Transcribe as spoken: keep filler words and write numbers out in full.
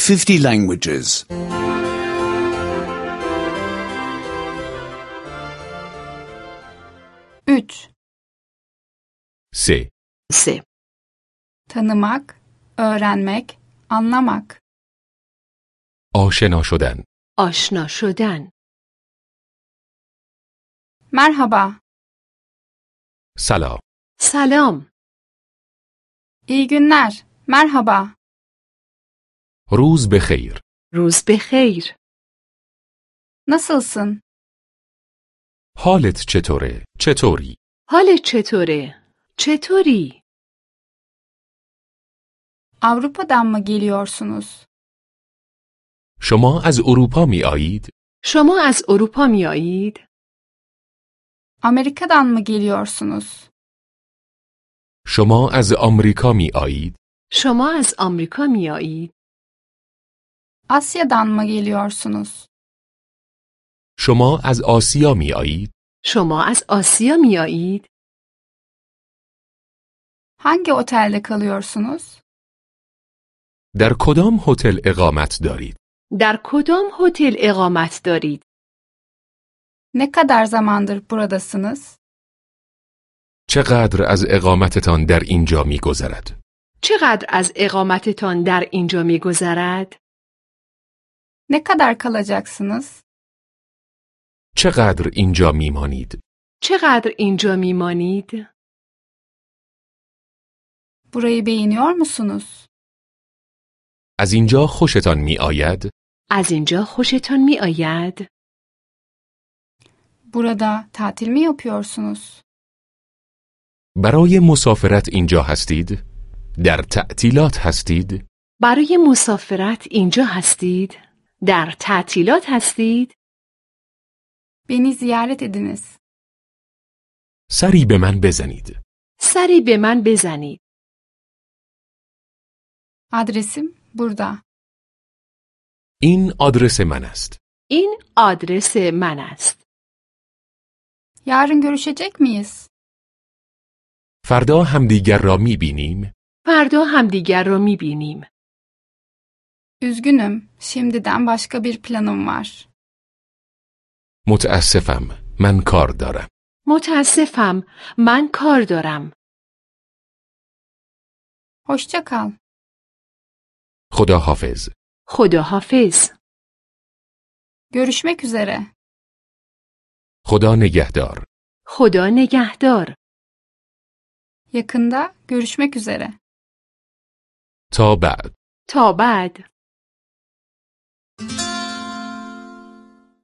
fifty languages. üç. سه. سه. Tanımak, öğrenmek, anlamak. آشنا شدن. آشنا شدن. Merhaba, سلام. سلام. iyi günler, merhaba. روز بخیر. روز بخیر. Nasılsın? حالت چطوره؟ چطوری؟ حالت چطوره؟ چطوری؟ Avrupa'dan mı geliyorsunuz? شما از اروپا می آیید؟ شما از اروپا می آیید؟ Amerika'dan mı geliyorsunuz? شما از آمریکا می آیید؟ شما از آمریکا می آیید؟ Asya'dan mı geliyorsunuz? شما از آسیا می آیید؟ شما از آسیا می آیید؟ Hangi otelde kalıyorsunuz? در کدام هتل اقامت دارید؟ در کدام هتل اقامت دارید؟ Ne kadar zamandır buradasınız? چقدر از اقامتتان در اینجا می گذرد؟ چقدر از اقامتتان در اینجا می گذرد؟ Ne kadar kalacaksınız? چقدر اینجا می مانید؟ چقدر اینجا می مانید؟ Burayı beğeniyor musunuz? از اینجا خوشتان می آید؟ از اینجا خوشتان می آید؟ Burada tatil mi yapıyorsunuz? برای مسافرت اینجا هستید؟ در تعطیلات هستید؟ برای مسافرت اینجا هستید؟ در تعطیلات هستید؟ Beni ziyaret ediniz. سری به من بزنید. سری به من بزنید. Adresim burada. این آدرس من است. این آدرس من است. Yarın görüşecek miyiz? فردا همدیگر را می بینیم؟ فردا همدیگر را می بینیم. Üzgünüm, şimdiden başka bir planım var. متاسفم، من کار دارم. متاسفم، من کار دارم. Hoşça kal. خدا حافظ. خدا حافظ. Görüşmek üzere. خدا نگهدار. خدا نگهدار. Yakında görüşmek üzere. تا بعد. تا بعد.